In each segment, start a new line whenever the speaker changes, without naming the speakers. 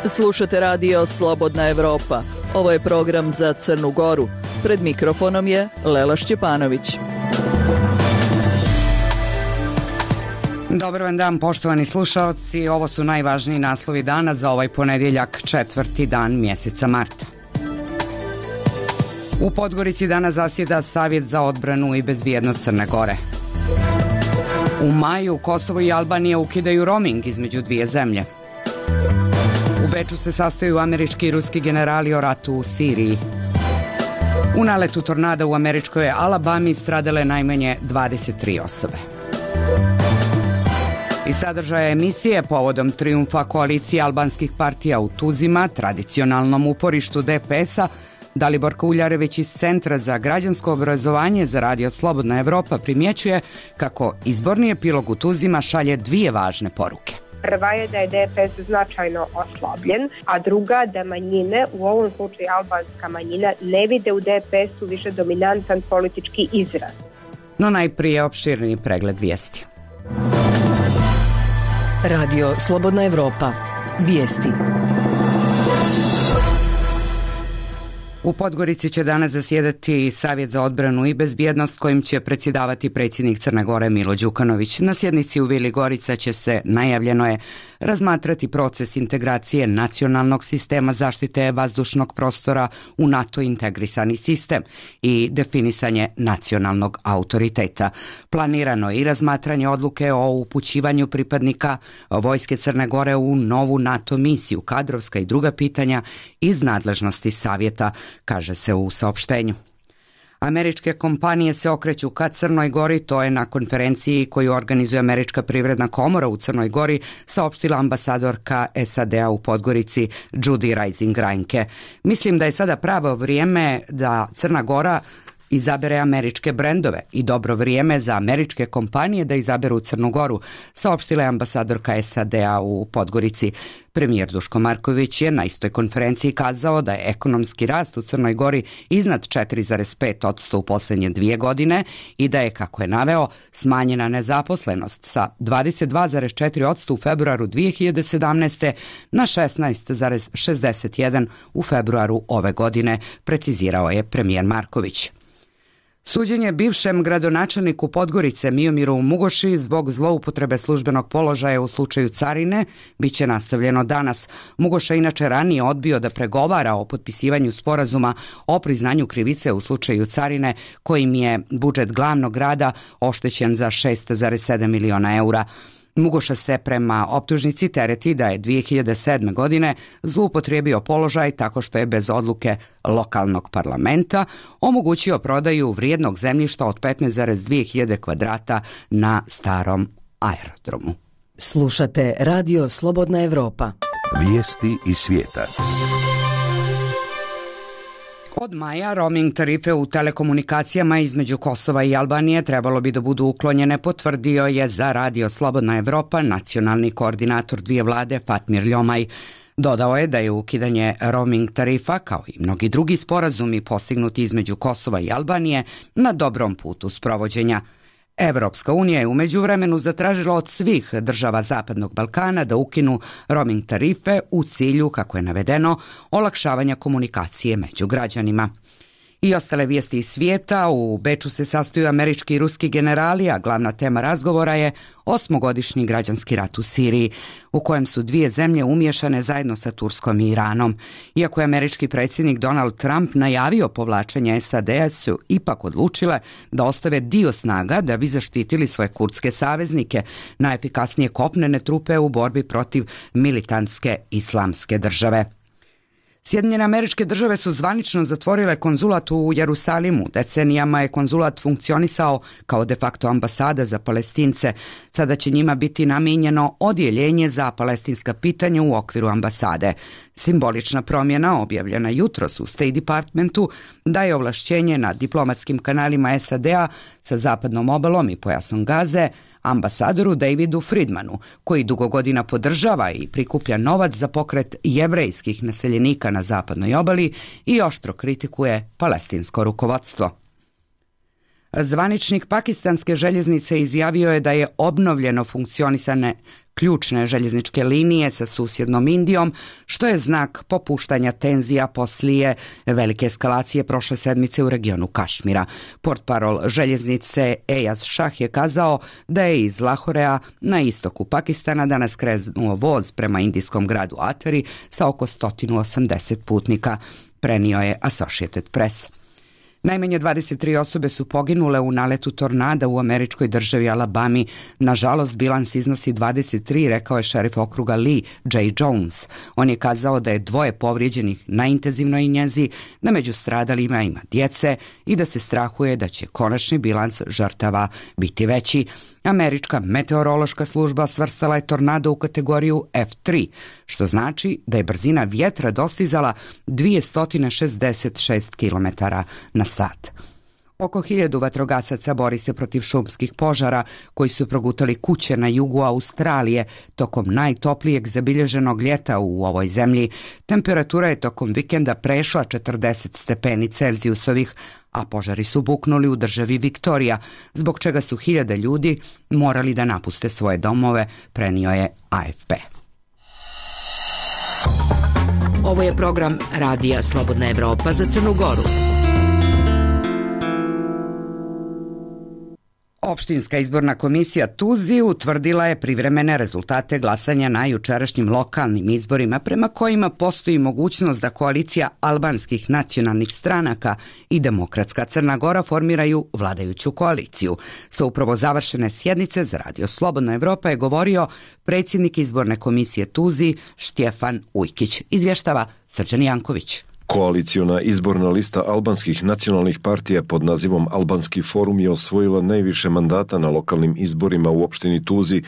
Slušate radio Slobodna Evropa. Ovo je program za Crnu Goru. Pred mikrofonom je Lela Šćepanović.
Dobar vam dan, poštovani slušaoci. Ovo su najvažniji naslovi dana za ovaj ponedjeljak, 4. dan mjeseca marta. U Podgorici danas zasjeda Savjet za odbranu i bezbjednost Crne Gore. U maju Kosovo i Albanija ukidaju roaming između dvije zemlje. U Beču se sastaju američki i ruski generali o ratu u Siriji. U naletu tornada u američkoj Alabami stradale najmanje 23 osobe. Iz sadržaja emisije povodom trijumfa koalicije albanskih partija u Tuzima, tradicionalnom uporištu DPS-a, Dalibor Kuljarević iz Centra za građansko obrazovanje za radio Slobodna Evropa primjećuje kako izborni epilog u Tuzima šalje dvije važne poruke.
Prva je da je DPS značajno oslabljen, a druga da manjine, u ovom slučaju albanska manjina, ne vide u DPS-u više dominantan politički izraz.
No najprije opširniji pregled vijesti.
Radio Slobodna Evropa. Vijesti.
U Podgorici će danas zasjedati Savjet za odbranu i bezbjednost kojim će predsjedavati predsjednik Crne Gore Milo Đukanović. Na sjednici u Vili Gorica će se, najavljeno je, razmatrati proces integracije nacionalnog sistema zaštite vazdušnog prostora u NATO integrisani sistem i definisanje nacionalnog autoriteta. Planirano je i razmatranje odluke o upućivanju pripadnika vojske Crne Gore u novu NATO misiju, kadrovska i druga pitanja iz nadležnosti savjeta, kaže se u saopštenju. Američke kompanije se okreću ka Crnoj Gori, to je na konferenciji koju organizuje Američka privredna komora u Crnoj Gori saopštila ambasadorka SAD-a u Podgorici Judy Reising-Reinke. Mislim da je sada pravo vrijeme da Crna Gora izabere američke brendove i dobro vrijeme za američke kompanije da izaberu Crnu Goru, saopštila je ambasadorka SAD-a u Podgorici. Premijer Duško Marković je na istoj konferenciji kazao da je ekonomski rast u Crnoj Gori iznad 4,5% u posljednje 2 godine i da je, kako je naveo, smanjena nezaposlenost sa 22,4% u februaru 2017. na 16,61% u februaru ove godine, precizirao je premijer Marković. Suđenje bivšem gradonačelniku Podgorice Miomiru Mugoši zbog zloupotrebe službenog položaja u slučaju carine biće nastavljeno danas. Mugoša inače ranije odbio da pregovara o potpisivanju sporazuma o priznanju krivice u slučaju carine, kojim je budžet glavnog grada oštećen za 6,7 miliona eura. Mugoša se prema optužnici tereti da je 2007. godine zloupotrijebio položaj tako što je bez odluke lokalnog parlamenta omogućio prodaju vrijednog zemljišta od 15,2 hiljade kvadrata na starom aerodromu.
Slušate radio Slobodna Evropa.
Vijesti iz svijeta.
Od maja roaming tarife u telekomunikacijama između Kosova i Albanije trebalo bi da budu uklonjene, potvrdio je za radio Slobodna Evropa nacionalni koordinator dvije vlade Fatmir Ljomaj. Dodao je da je ukidanje roaming tarifa, kao i mnogi drugi sporazumi postignuti između Kosova i Albanije, na dobrom putu sprovođenja. Evropska unija je u međuvremenu zatražila od svih država Zapadnog Balkana da ukinu roaming tarife u cilju, kako je navedeno, olakšavanja komunikacije među građanima. I ostale vijesti iz svijeta. U Beču se sastaju američki i ruski generali, a glavna tema razgovora je 8-godišnji građanski rat u Siriji, u kojem su dvije zemlje umiješane zajedno sa Turskom i Iranom. Iako je američki predsjednik Donald Trump najavio povlačenje SAD-a, su ipak odlučile da ostave dio snaga da bi zaštitili svoje kurdske saveznike, najefikasnije kopnene trupe u borbi protiv militantske islamske države. Sjedinjene Američke Države su zvanično zatvorile konzulat u Jerusalimu. Decenijama je konzulat funkcionisao kao de facto ambasada za Palestince. Sada će njima biti namijenjeno odjeljenje za palestinska pitanja u okviru ambasade. Simbolična promjena, objavljena jutros u State Departmentu, daje ovlašćenje na diplomatskim kanalima SAD-a sa zapadnom obalom i pojasom Gaze ambasadoru Davidu Friedmanu, koji dugo godina podržava i prikuplja novac za pokret jevrejskih naseljenika na zapadnoj obali i oštro kritikuje palestinsko rukovodstvo. Zvaničnik pakistanske željeznice izjavio je da je obnovljeno funkcionisanje ključne željezničke linije sa susjednom Indijom, što je znak popuštanja tenzija poslije velike eskalacije prošle sedmice u regionu Kašmira. Portparol željeznice Ejaz Šah je kazao da je iz Lahorea na istoku Pakistana danas krenuo voz prema indijskom gradu Ateri sa oko 180 putnika, prenio je Associated Press. Najmanje 23 osobe su poginule u naletu tornada u američkoj državi Alabami. Nažalost, bilans iznosi 23, rekao je šerif okruga Lee J. Jones. On je kazao da je 2 povrijeđenih na intenzivnoj njezi, da među stradalima ima djece i da se strahuje da će konačni bilans žrtava biti veći. Američka meteorološka služba svrstala je tornado u kategoriju F3, što znači da je brzina vjetra dostizala 266 km na sat. Oko 1000 vatrogasaca bori se protiv šumskih požara koji su progutali kuće na jugu Australije tokom najtoplijeg zabilježenog ljeta u ovoj zemlji. Temperatura je tokom vikenda prešla 40 stepeni Celzijusovih, a požari su buknuli u državi Viktorija, zbog čega su 1000 ljudi morali da napuste svoje domove, prenio je AFP.
Ovo je program Radija Slobodna Evropa za Crnu Goru.
Opštinska izborna komisija Tuzi utvrdila je privremene rezultate glasanja na jučerašnjim lokalnim izborima, prema kojima postoji mogućnost da koalicija albanskih nacionalnih stranaka i Demokratska Crna Gora formiraju vladajuću koaliciju. Sa upravo završene sjednice za Radio Slobodna Evropa je govorio predsjednik izborne komisije Tuzi Štjefan Ujkić. Izvještava Srđan Janković.
Koaliciona izborna lista albanskih nacionalnih partija pod nazivom Albanski forum je osvojila najviše mandata na lokalnim izborima u opštini Tuzi,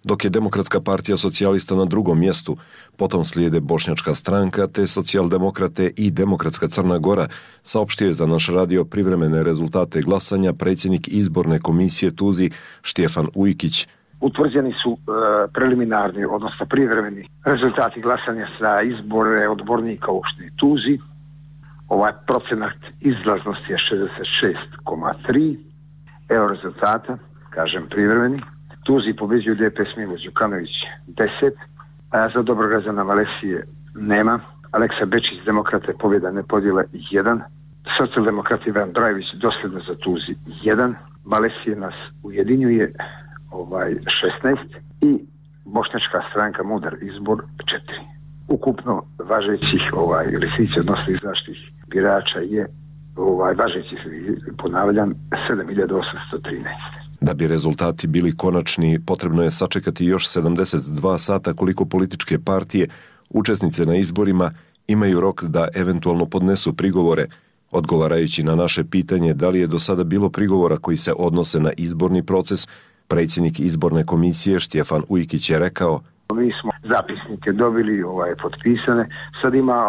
dok je Demokratska partija socijalista na drugom mjestu, potom slijede Bošnjačka stranka te socijaldemokrate i Demokratska Crna Gora, saopštio je za naš radio privremene rezultate glasanja predsjednik izborne komisije Tuzi Štjefan Ujkić.
Utvrđeni su preliminarni, odnosno privremeni rezultati glasanja za izbore odbornika u opštini Tuzi. Ovaj procenat izlaznosti je 66,3. Evo rezultata, kažem privremeni. Tuzi pobeđuju DPS Milo Đukanović 10. Za Dobrograđana Valesije nema. Aleksa Bečić, Demokrate, pobjeda ne podjela 1. Socijaldemokrati Ivan Brajević dosljedno za Tuzi 1. Valesije nas ujedinjuje 16 i Bošnjačka stranka Mudar izbor 4. Ukupno važećih listića odnosno izašlih birača je važećih, ponavljam, 7813.
Da bi rezultati bili konačni, potrebno je sačekati još 72 sata koliko političke partije, učesnice na izborima, imaju rok da eventualno podnesu prigovore. Odgovarajući na naše pitanje da li je do sada bilo prigovora koji se odnose na izborni proces, predsjednik izborne komisije Štjefan Ujkić je rekao:
Mi smo zapisnike dobili, potpisane. Sad ima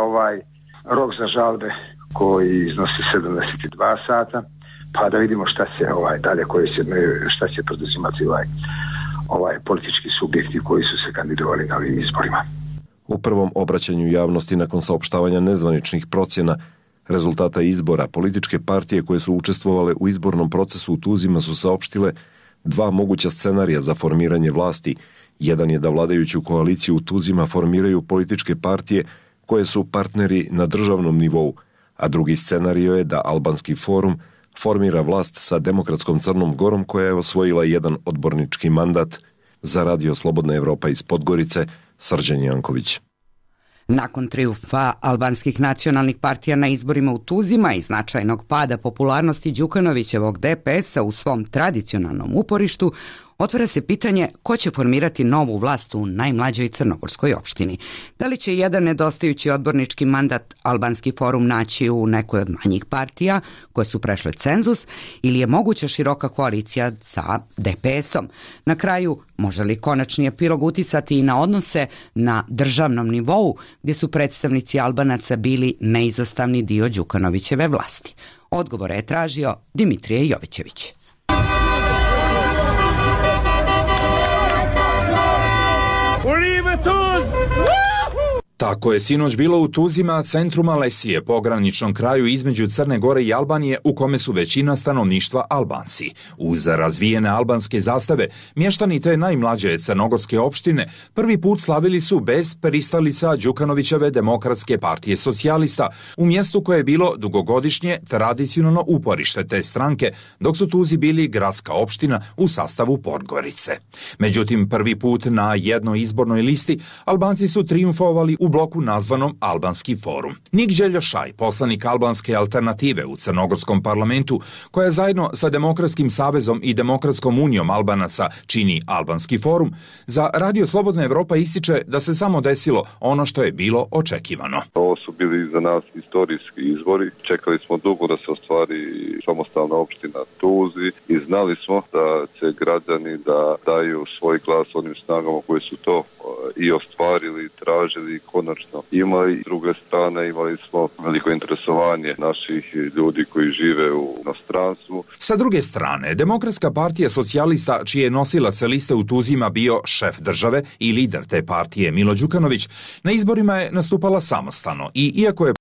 rok za žalbe koji iznosi 72 sata, pa da vidimo šta će dalje, šta će poduzimati politički subjekti koji su se kandidovali na ovim izborima.
U prvom obraćanju javnosti nakon saopštavanja nezvaničnih procjena rezultata izbora, političke partije koje su učestvovale u izbornom procesu u Tuzima su saopštile 2 moguća scenarija za formiranje vlasti. Jedan je da vladajuću koaliciju u Tuzima formiraju političke partije koje su partneri na državnom nivou, a drugi scenario je da Albanski forum formira vlast sa Demokratskom Crnom Gorom koja je osvojila jedan odbornički mandat. Za Radio Slobodna Evropa iz Podgorice, Srđan Janković.
Nakon trijumfa albanskih nacionalnih partija na izborima u Tuzima i značajnog pada popularnosti Đukanovićevog DPS-a u svom tradicionalnom uporištu, otvara se pitanje ko će formirati novu vlast u najmlađoj crnogorskoj opštini. Da li će jedan nedostajući odbornički mandat Albanski forum naći u nekoj od manjih partija koje su prešle cenzus ili je moguća široka koalicija sa DPS-om? Na kraju, može li konačni epilog uticati i na odnose na državnom nivou gdje su predstavnici Albanaca bili neizostavni dio Đukanovićeve vlasti? Odgovore je tražio Dimitrije Jovićević.
Tako je sinoć bilo u Tuzima, centru Malesije, pograničnom kraju između Crne Gore i Albanije, u kome su većina stanovništva Albanci. Uz razvijene albanske zastave, mještani te najmlađe crnogorske opštine prvi put slavili su bez pristalica Đukanovićeve Demokratske partije socijalista, u mjestu koje je bilo dugogodišnje tradicionalno uporište te stranke, dok su Tuzi bili gradska opština u sastavu Podgorice. Međutim, prvi put na jednoj izbornoj listi Albanci su trijumfovali u bloku nazvanom Albanski forum. Nik Đeljošaj, poslanik Albanske alternative u crnogorskom parlamentu, koja zajedno sa Demokratskim savezom i Demokratskom unijom Albanaca čini Albanski forum, za Radio Slobodna Evropa ističe da se samo desilo ono što je bilo očekivano.
Ovo su bili za nas istorijski izbori. Čekali smo dugo da se ostvari samostalna opština Tuzi i znali smo da će građani da daju svoj glas onim snagama koji su to i ostvarili, tražili i konačno imali. S druge strane imali smo veliko interesovanje naših ljudi koji žive u inostranstvu.
Sa druge strane, Demokratska partija socijalista, čiji je nosilac liste u Tuzima bio šef države i lider te partije Milo Đukanović, na izborima je nastupala samostalno i iako je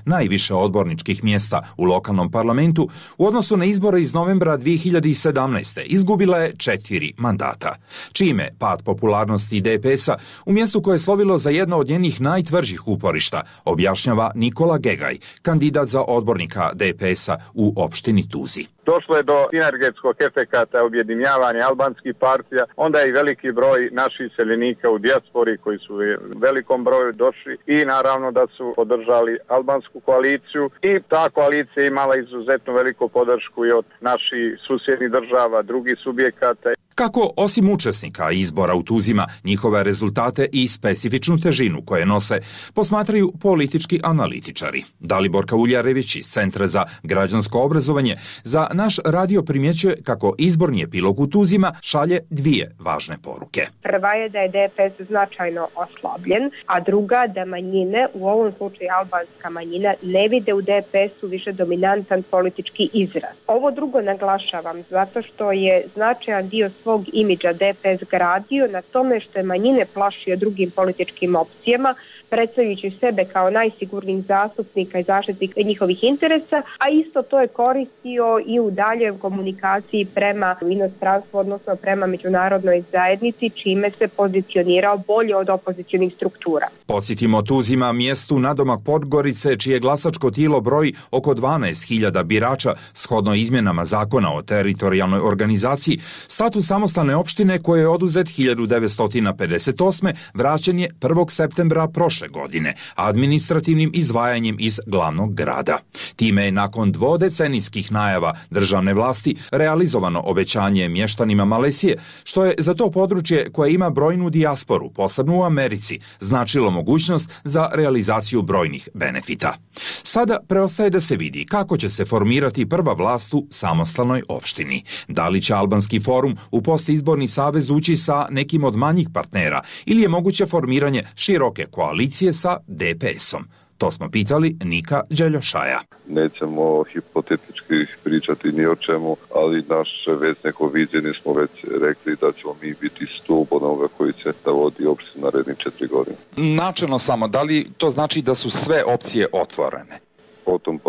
najviše odborničkih mjesta u lokalnom parlamentu, u odnosu na izbore iz novembra 2017. izgubila je 4 mandata, čime pad popularnosti DPS-a u mjestu koje je slovilo za jedno od njenih najtvrđih uporišta, objašnjava Nikola Gegaj, kandidat za odbornika DPS-a u opštini Tuzi.
Došlo je do sinergetskog efekata objedinjavanja albanskih partija, onda je i veliki broj naših iseljenika u dijaspori koji su u velikom broju došli i naravno da su podržali albansku koaliciju i ta koalicija imala izuzetno veliku podršku i od naših susjednih država, drugih subjekata.
Kako, osim učesnika izbora u Tuzima, njihove rezultate i specifičnu težinu koje nose, posmatraju politički analitičari. Dalibor Kauljarević iz Centra za građansko obrazovanje za naš radio primjećuje kako izborni epilog u Tuzima šalje 2 važne poruke.
Prva je da je DPS značajno oslabljen, a druga da manjine, u ovom slučaju albanska manjina, ne vide u DPS-u više dominantan politički izraz. Ovo drugo naglašavam zato što je značajan dio svog imidža DPS gradio na tome što je manjine plašio drugim političkim opcijama, predstavljajući sebe kao najsigurnijih zastupnika i zaštitnika njihovih interesa, a isto to je koristio i u daljoj komunikaciji prema inostranstvu, odnosno prema međunarodnoj zajednici, čime se pozicionirao bolje od opozicionih struktura.
Podsjetimo, Tuzima, mjestu nadomak Podgorice, čije glasačko tijelo broji oko 12.000 birača, shodno izmjenama zakona o teritorijalnoj organizaciji, status samostalne opštine koje je oduzet 1958. vraćen je 1. septembra prošle godine, administrativnim izdvajanjem iz glavnog grada. Time je nakon dvodecenijskih najava državne vlasti realizovano obećanje mještanima Malesije, što je za to područje koje ima brojnu dijasporu, posebno u Americi, značilo mogućnost za realizaciju brojnih benefita. Sada preostaje da se vidi kako će se formirati prva vlast u samostalnoj opštini. Da li će Albanski forum u postizborni savez ući sa nekim od manjih partnera ili je moguće formiranje široke koalicije sa DPS-om? To smo pitali Nika Đeljošaja.
Nećemo hipotetički pričati ni o čemu, ali naše već neko viđenje smo već rekli da ćemo mi biti stup onoga koji će da vodi opštinu narednih 4 godine.
Načelno samo, da li to znači da su sve opcije otvorene?
Potom.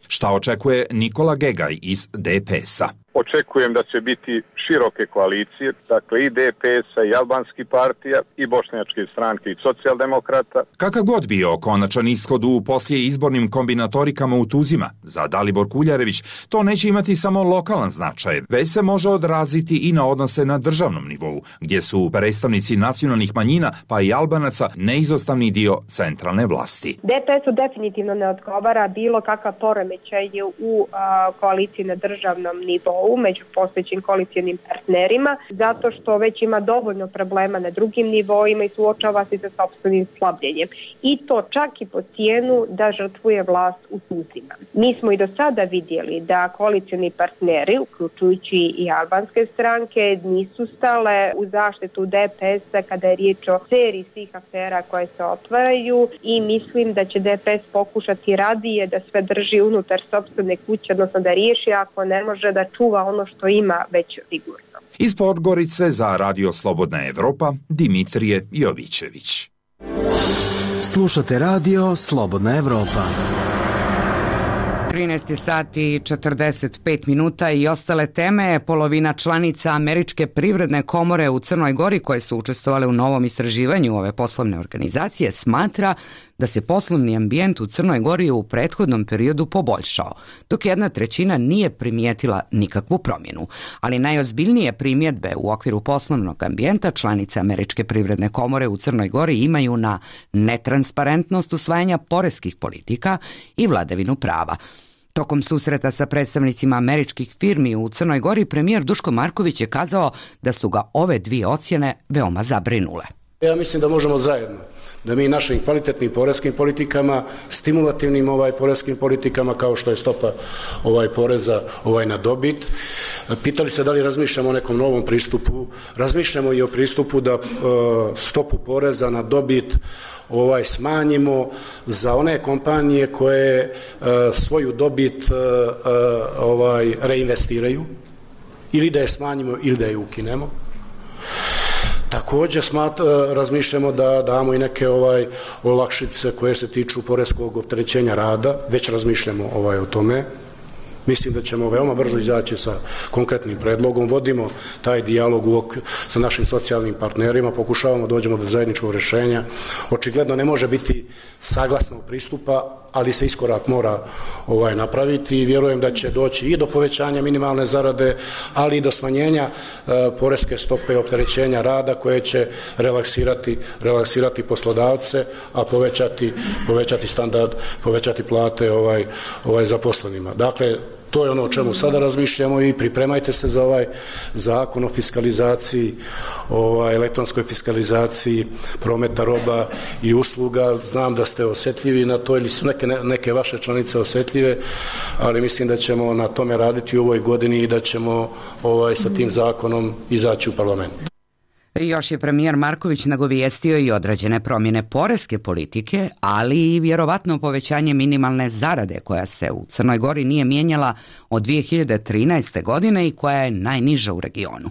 Šta očekuje Nikola Gegaj iz DPS-a?
Očekujem da će biti široke koalicije, dakle i DPS-a i albanskih partija i bošnjačke stranke i socijaldemokrata.
Kakav god bio konačan ishod u poslije izbornim kombinatorikama u Tuzima, za Dalibor Kuljarević, to neće imati samo lokalan značaj, već se može odraziti i na odnose na državnom nivou, gdje su predstavnici nacionalnih manjina, pa i Albanaca, neizostavni dio centralne vlasti.
DPS-u definitivno ne odgovara bilo kakav poremećaj u koaliciji na državnom nivou među postojećim koalicijnim partnerima, zato što već ima dovoljno problema na drugim nivoima i suočava se sa sopstvenim slabljenjem. I to čak i po cijenu da žrtvuje vlast u Tuzima. Mi smo i do sada vidjeli da koalicijni partneri, uključujući i albanske stranke, nisu stale u zaštitu DPS-a kada je riječ o seriji svih afera koje se otvaraju i mislim da će DPS pokušati radije da sve drži unutar sopstvene kuće, odnosno da riješi, ako ne može da čuva ono što ima već sigurno.
Iz Podgorice za Radio Slobodna Evropa, Dimitrije Jovićević.
Slušate radio Slobodna Evropa.
13 sati i 45 minuta i ostale teme. Polovina članica Američke privredne komore u Crnoj Gori koje su učestvovale u novom istraživanju ove poslovne organizacije smatra da se poslovni ambijent u Crnoj Gori u prethodnom periodu poboljšao, dok 1/3 nije primijetila nikakvu promjenu. Ali najozbiljnije primjedbe u okviru poslovnog ambijenta članice Američke privredne komore u Crnoj Gori imaju na netransparentnost usvajanja poreskih politika i vladavinu prava. Tokom susreta sa predstavnicima američkih firmi u Crnoj Gori, premijer Duško Marković je kazao da su ga ove dvije ocjene veoma zabrinule.
Ja mislim da možemo zajedno, da mi našim kvalitetnim poreskim politikama, stimulativnim poreskim politikama kao što je stopa poreza na dobit. Pitali se da li razmišljamo o nekom novom pristupu. Razmišljamo i o pristupu da stopu poreza na dobit smanjimo za one kompanije koje svoju dobit reinvestiraju, ili da je smanjimo ili da je ukinemo. Također razmišljamo da damo i neke olakšice koje se tiču poreskog opterećenja rada, već razmišljamo o tome. Mislim da ćemo veoma brzo izaći sa konkretnim predlogom, vodimo taj dijalog sa našim socijalnim partnerima, pokušavamo da dođemo do zajedničkog rješenja. Očigledno ne može biti saglasnog pristupa, ali se iskorak mora napraviti i vjerujem da će doći i do povećanja minimalne zarade, ali i do smanjenja poreske stope opterećenja rada koje će relaksirati poslodavce, a povećati standard, povećati plate zaposlenima. Dakle, to je ono o čemu sada razmišljamo i pripremajte se za ovaj zakon o fiskalizaciji, elektronskoj fiskalizaciji prometa roba i usluga. Znam da ste osjetljivi na to ili su neke vaše članice osjetljive, ali mislim da ćemo na tome raditi u ovoj godini i da ćemo sa tim zakonom izaći u parlament.
Još je premijer Marković nagovijestio i određene promjene poreske politike, ali i vjerovatno povećanje minimalne zarade koja se u Crnoj Gori nije mijenjala od 2013. godine i koja je najniža u regionu.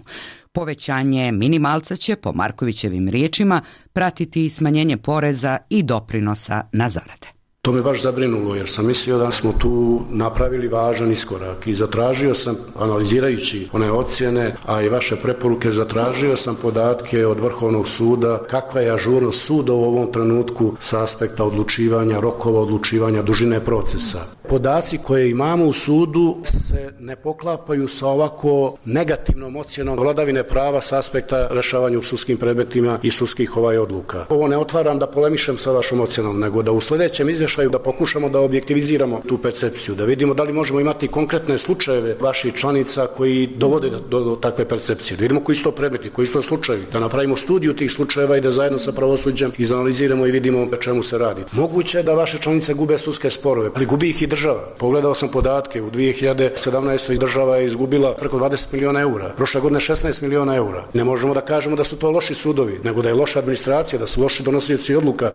Povećanje minimalca će, po Markovićevim riječima, pratiti i smanjenje poreza i doprinosa na zarade.
To me baš zabrinulo jer sam mislio da smo tu napravili važan iskorak i zatražio sam, analizirajući one ocjene, a i vaše preporuke, zatražio sam podatke od Vrhovnog suda kakva je ažurnost suda u ovom trenutku sa aspekta odlučivanja, rokova odlučivanja, dužine procesa. Podaci koje imamo u sudu se ne poklapaju sa ovako negativnom ocjenom vladavine prava sa aspekta rješavanja u sudskim predmetima i sudskih odluka. Ovo ne otvaram da polemišem sa vašom ocjenom, nego da u sljedećem izvještaju da pokušamo da objektiviziramo tu percepciju, da vidimo da li možemo imati konkretne slučajeve vaših članica koji dovode do takve percepcije, da vidimo koji su to predmeti, koji su to slučajevi, da napravimo studiju tih slučajeva i da zajedno sa pravosuđem izanaliziramo i vidimo o čemu se radi. Moguće je da vaše članice gube sudske sporove, ali gubi ih i država. Pogledao sam podatke, u 2017. država je izgubila preko 20 milijuna eura, prošle godine 16 milijuna eura. Ne možemo da kažemo da su to loši sudovi, nego da je loša administracija, da su loši donosioci odluka.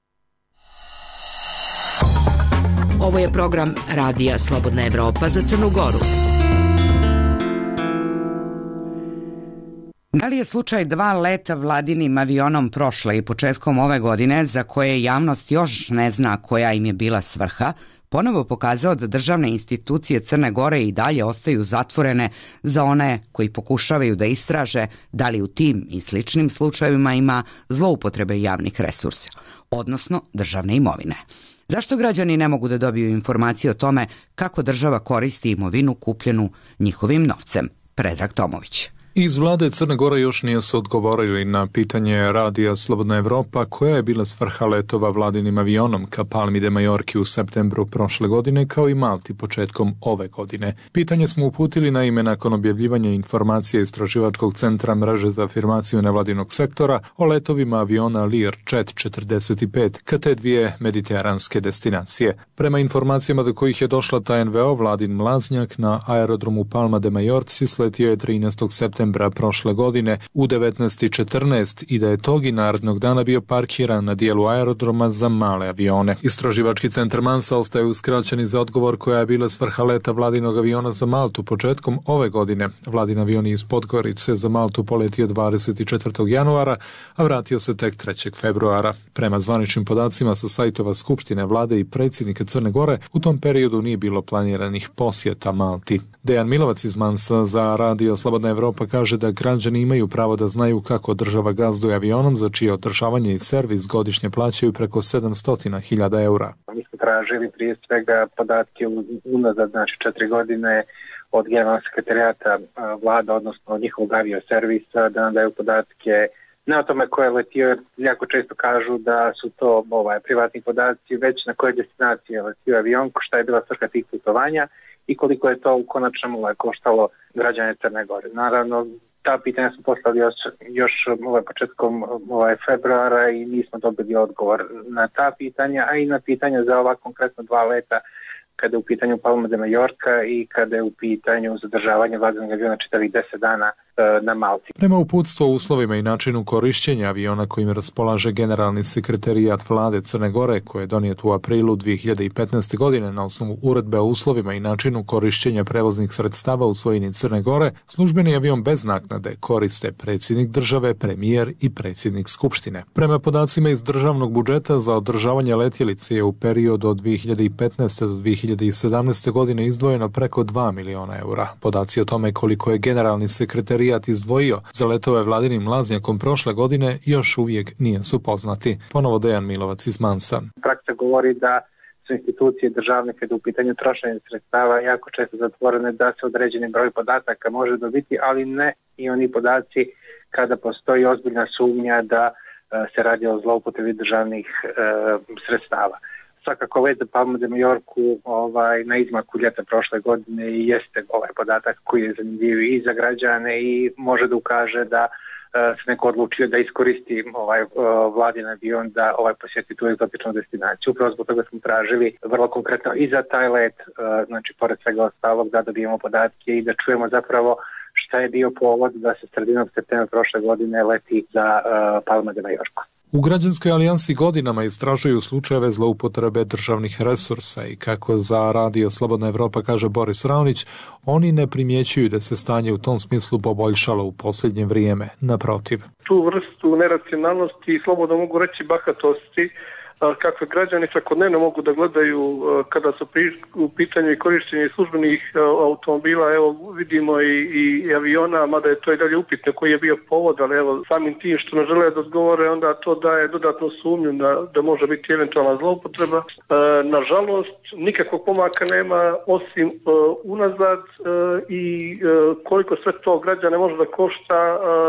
Ovo je program Radija Slobodna Evropa za Crnu Goru.
Da li je slučaj 2 leta vladinim avionom prošle i početkom ove godine, za koje javnost još ne zna koja im je bila svrha, ponovo pokazao da državne institucije Crne Gore i dalje ostaju zatvorene za one koji pokušavaju da istraže da li u tim i sličnim slučajevima ima zloupotrebe javnih resursa, odnosno državne imovine. Zašto građani ne mogu da dobiju informacije o tome kako država koristi imovinu kupljenu njihovim novcem? Predrag Tomović.
Iz vlade Crne Gore još nije se odgovorili na pitanje Radija Slobodna Evropa koja je bila svrha letova vladinim avionom ka Palmi de Majorki u septembru prošle godine kao i Malti početkom ove godine. Pitanje smo uputili na ime nakon objavljivanja informacije Istraživačkog centra mreže za afirmaciju nevladinog sektora o letovima aviona Learjet 45 ka te dvije mediteranske destinacije. Prema informacijama do kojih je došla ta NVO, Vladin mlaznjak na aerodromu Palma de Majorci sletio je 13. septembra septembra prošle godine u 19:14 i da je tog i narednog dana bio parkiran na dijelu aerodroma za male avione. Istraživački centar Mansa ostaje uskraćeni za odgovor koja je bila svrha leta vladinog aviona za Maltu početkom ove godine. Vladin avion je iz Podgorice za Maltu poletio 24. januara, a vratio se tek 3. februara. Prema zvaničnim podacima sa sajtova Skupštine vlade i predsjednika Crne Gore, u tom periodu nije bilo planiranih posjeta Malti. Dejan Milovac iz Mansa za Radio Slobodna Evropa kaže da građani imaju pravo da znaju kako država gazduje avionom za čije održavanje i servis godišnje plaćaju preko 700.000 eura.
Mi smo tražili prije svega podatke unazad, 4 godine od generalnog sekretarijata vlada, odnosno od njihovog avioservisa, da nam daju podatke ne o tome ko je letio, jer jako često kažu da su to privatni podaci, već na koje destinacije je letio avion, šta je bila svrha tih putovanja i koliko je to u konačnom koštalo građane Crne Gore. Naravno, ta pitanja smo poslali još početkom februara i nismo dobili odgovor na ta pitanja, a i na pitanja za ova konkretno 2 leta kada je u pitanju Palma de Mallorca i kada je u pitanju zadržavanje vladinog aviona čitavih 10 dana na Malti.
Prema uputstvu o uslovima i načinu korišćenja aviona kojim raspolaže generalni sekretarijat vlade Crne Gore, koje je donijet u aprilu 2015. godine na osnovu uredbe o uslovima i načinu korišćenja prevoznih sredstava u svojini Crne Gore, službeni avion bez naknade koriste predsjednik države, premijer i predsjednik Skupštine. Prema podacima iz državnog budžeta za održavanje letjelice je u periodu od 2015. do 2017. godine izdvojeno preko 2 miliona eura. Podaci o tome koliko je generalni sekretarijat izdvojio za letove vladinim laznjakom prošle godine još uvijek nisu poznati. Ponovo Dejan Milovac iz Mansa.
Praksa govori da su institucije državne kada u pitanju trošenja sredstava jako često zatvorene, da se određeni broj podataka može dobiti, ali ne i oni podaci kada postoji ozbiljna sumnja da se radi o zloupotrebi državnih sredstava. Svakako let za Palma de Mallorcu na izmaku ljeta prošle godine i jeste podatak koji je zanimljiv i za građane i može da ukaže da se neko odlučio da iskoristi vladin avion da posjeti tu egzotičnu destinaciju. Upravo zbog toga smo tražili vrlo konkretno i za taj let, pored svega ostalog, da dobijemo podatke i da čujemo zapravo šta je bio povod da se sredinom septembra prošle godine leti za Palma de Mallorcu.
U Građanskoj alijansi godinama istražuju slučajeve zloupotrebe državnih resursa i kako za Radio Slobodna Evropa kaže Boris Raonić, oni ne primjećuju da se stanje u tom smislu poboljšalo u posljednje vrijeme, naprotiv.
Tu vrstu neracionalnosti i slobodno mogu reći bahatosti kakve građani svakodnevno mogu da gledaju kada su u pitanju i korištenje službenih automobila, evo vidimo i aviona, mada je to i dalje upitno koji je bio povod, ali evo samim tim što ne žele da odgovore, onda to daje dodatnu sumnju da može biti eventualna zloupotreba. Nažalost, nikakvog pomaka nema osim unazad i koliko sve to građane može da košta,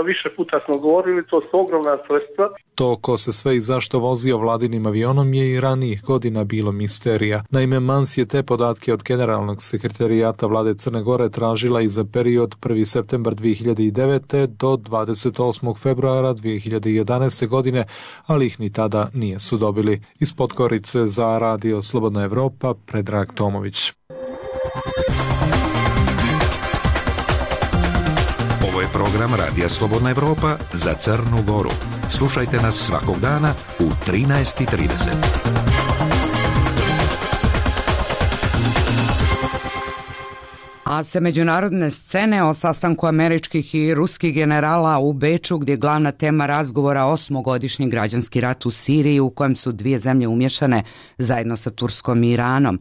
više puta smo govorili, to su ogromna sredstva.
To ko se sve i zašto vozio vladinim avionom je i ranijih godina bilo misterija. Naime, Mans je te podatke od generalnog sekretarijata vlade Crne Gore tražila i za period 1. septembar 2009. do 28. februara 2011. godine, ali ih ni tada nisu dobili. Iz Podgorice za Radio Slobodna Evropa, Predrag Tomović.
Ovo je program Radija Slobodna Evropa za Crnu Goru. Slušajte nas svakog dana u 13:30.
A sa međunarodne scene o sastanku američkih i ruskih generala u Beču, gdje je glavna tema razgovora 8-godišnji građanski rat u Siriji u kojem su dvije zemlje umješane zajedno sa Turskom i Iranom.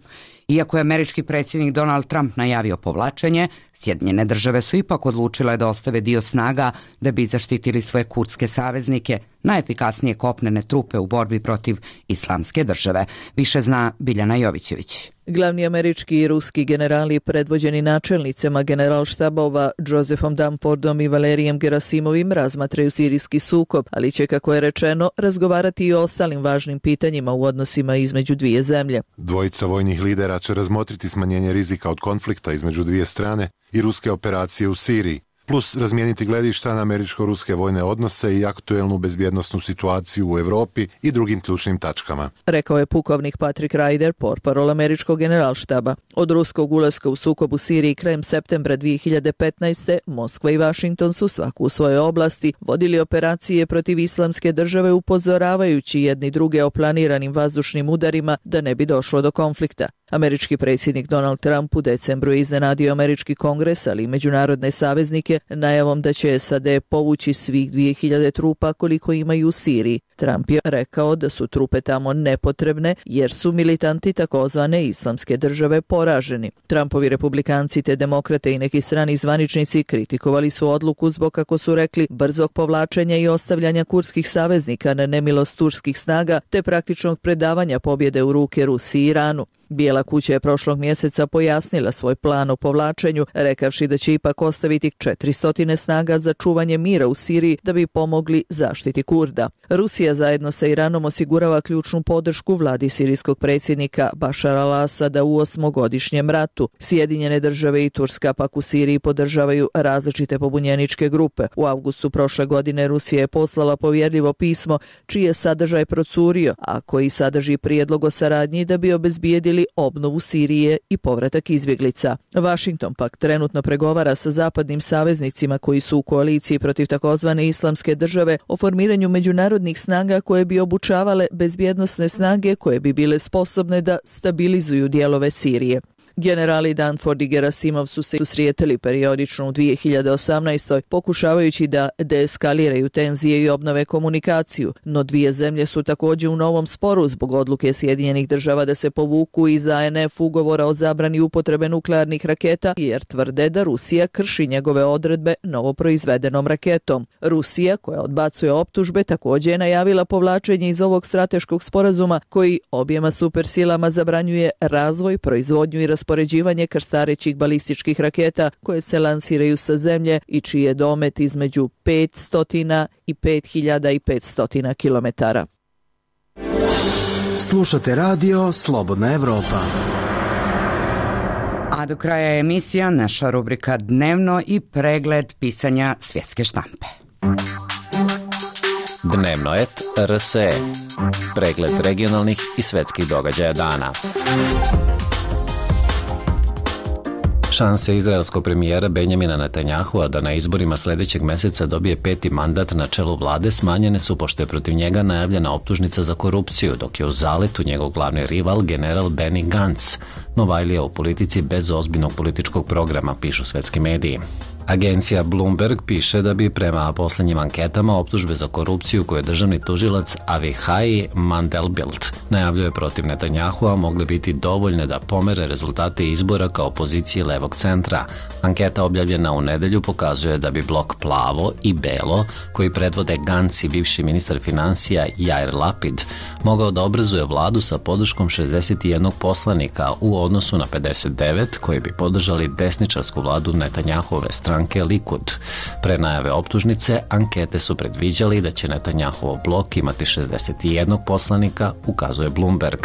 Iako je američki predsjednik Donald Trump najavio povlačenje, Sjedinjene države su ipak odlučile da ostave dio snaga da bi zaštitili svoje kurdske saveznike, najefikasnije kopnene trupe u borbi protiv Islamske države. Više zna Biljana Jovićević.
Glavni američki i ruski generali predvođeni načelnicima generalštabova Josephom Dunfordom i Valerijem Gerasimovim razmatraju sirijski sukob, ali će, kako je rečeno, razgovarati i o ostalim važnim pitanjima u odnosima između dvije zemlje.
Dvojica vojnih lidera će razmotriti smanjenje rizika od konflikta između dvije strane i ruske operacije u Siriji. plus razmijeniti gledišta na američko-ruske vojne odnose i aktuelnu bezbjednosnu situaciju u Europi i drugim ključnim tačkama.
Rekao je pukovnik Patrick Ryder, portparol američkog generalštaba. Od ruskog ulaska u sukob u Siriji krajem septembra 2015. Moskva i Vašington su svaku u svojoj oblasti vodili operacije protiv Islamske države, upozoravajući jedni druge o planiranim vazdušnim udarima da ne bi došlo do konflikta. Američki predsjednik Donald Trump u decembru je iznenadio američki kongres, ali i međunarodne saveznike, najavom da će SAD povući svih 2000 trupa koliko imaju u Siriji. Trump je rekao da su trupe tamo nepotrebne jer su militanti takozvane Islamske države poraženi. Trumpovi republikanci te demokrate i neki strani zvaničnici kritikovali su odluku zbog, kako su rekli, brzog povlačenja i ostavljanja kurdskih saveznika na nemilost turskih snaga te praktičnog predavanja pobjede u ruke Rusiji i Iranu. Bijela kuća je prošlog mjeseca pojasnila svoj plan o povlačenju, rekavši da će ipak ostaviti 400 snaga za čuvanje mira u Siriji da bi pomogli zaštiti Kurda. Rusija zajedno sa Iranom osigurava ključnu podršku vladi sirijskog predsjednika Bašara al-Asada u 8-godišnjem ratu. Sjedinjene države i Turska pak u Siriji podržavaju različite pobunjeničke grupe. U avgustu prošle godine Rusija je poslala povjerljivo pismo čiji je sadržaj procurio, a koji sadrži prijedlog o saradnji da bi obezbijedili obnovu Sirije i povratak izbjeglica. Washington pak trenutno pregovara sa zapadnim saveznicima koji su u koaliciji protiv takozvane Islamske države o formiranju međunarodnih snaga koje bi obučavale bezbjednosne snage koje bi bile sposobne da stabilizuju dijelove Sirije. Generali Danford i Gerasimov su se susretali periodično u 2018. pokušavajući da deeskaliraju tenzije i obnove komunikaciju, no dvije zemlje su također u novom sporu zbog odluke Sjedinjenih država da se povuku iz ANF ugovora o zabrani upotrebe nuklearnih raketa jer tvrde da Rusija krši njegove odredbe novoproizvedenom raketom. Rusija, koja odbacuje optužbe, također je najavila povlačenje iz ovog strateškog sporazuma koji objema supersilama zabranjuje razvoj, proizvodnju i raspoređivanje krstarećih balističkih raketa koje se lansiraju sa zemlje i čiji je domet između 500 i 5500 kilometara.
Slušate radio Slobodna Evropa.
A do kraja je emisija naša rubrika Dnevno i pregled pisanja svjetske štampe.
Dnevnoet RSE. Pregled regionalnih i svetskih događaja dana. Šanse izraelskog premijera Benjamina Netanyahua da na izborima sljedećeg mjeseca dobije 5. mandat na čelu vlade smanjene su pošto je protiv njega najavljena optužnica za korupciju, dok je u zaletu njegov glavni rival general Benny Gantz, novajlija u politici bez ozbiljnog političkog programa, pišu svetski mediji. Agencija Bloomberg piše da bi prema posljednjim anketama optužbe za korupciju koje je državni tužilac Avichai Mandelblit najavljuje protiv Netanyahua mogle biti dovoljne da pomere rezultate izbora kao opozicije levog centra. Anketa objavljena u nedelju pokazuje da bi blok Plavo i Belo, koji predvode Gantz i bivši ministar financija Yair Lapid, mogao da obrazuje vladu sa podrškom 61 poslanika u odnosu na 59 koji bi podržali desničarsku vladu Netanyahuove stranke Likud. Pre najave optužnice, ankete su predviđali da će Netanyahov blok imati 61 poslanika, ukazuje Bloomberg.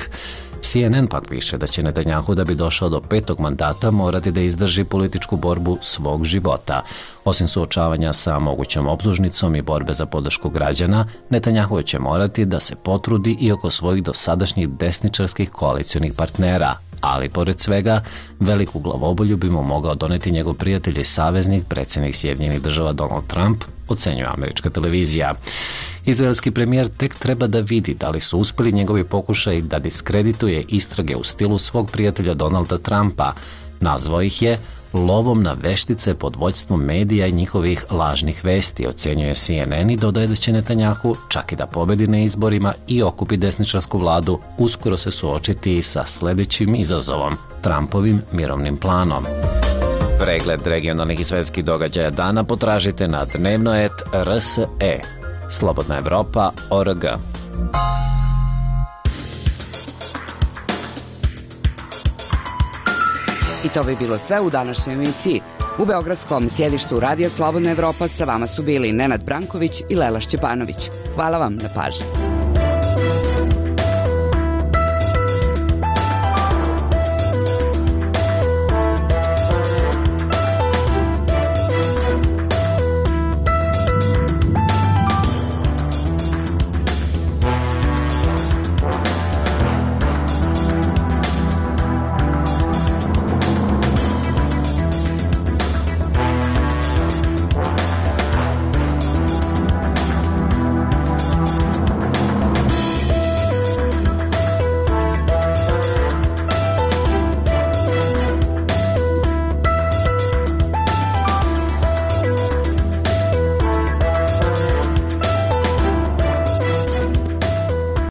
CNN pak piše da će Netanyahu da bi došao do 5. mandata morati da izdrži političku borbu svog života. Osim suočavanja sa mogućom optužnicom i borbe za podršku građana, Netanyahu će morati da se potrudi i oko svojih dosadašnjih desničarskih koalicionih partnera. Ali, pored svega, veliku glavobolju bi mu mogao doneti njegov prijatelj i saveznik, predsjednik Sjedinjenih država Donald Trump, ocenjuje američka televizija. Izraelski premijer tek treba da vidi da li su uspjeli njegovi pokušaj da diskredituje istrage u stilu svog prijatelja Donalda Trumpa. Nazvao ih je lovom na veštice pod vođstvom medija i njihovih lažnih vesti, ocjenjuje CNN i dodaje da će Netanyahu, čak i da pobedi na izborima i okupi desničarsku vladu, uskoro se suočiti sa sljedećim izazovom, Trumpovim mirovnim planom. Pregled regionalnih i svetskih događaja dana potražite na Dnevnoet RSE. Slobodna Evropa.org.
I to bi bilo sve u današnjoj emisiji. U beogradskom sjedištu Radija Slobodna Evropa sa vama su bili Nenad Branković i Lela Šćepanović. Hvala vam na pažnji.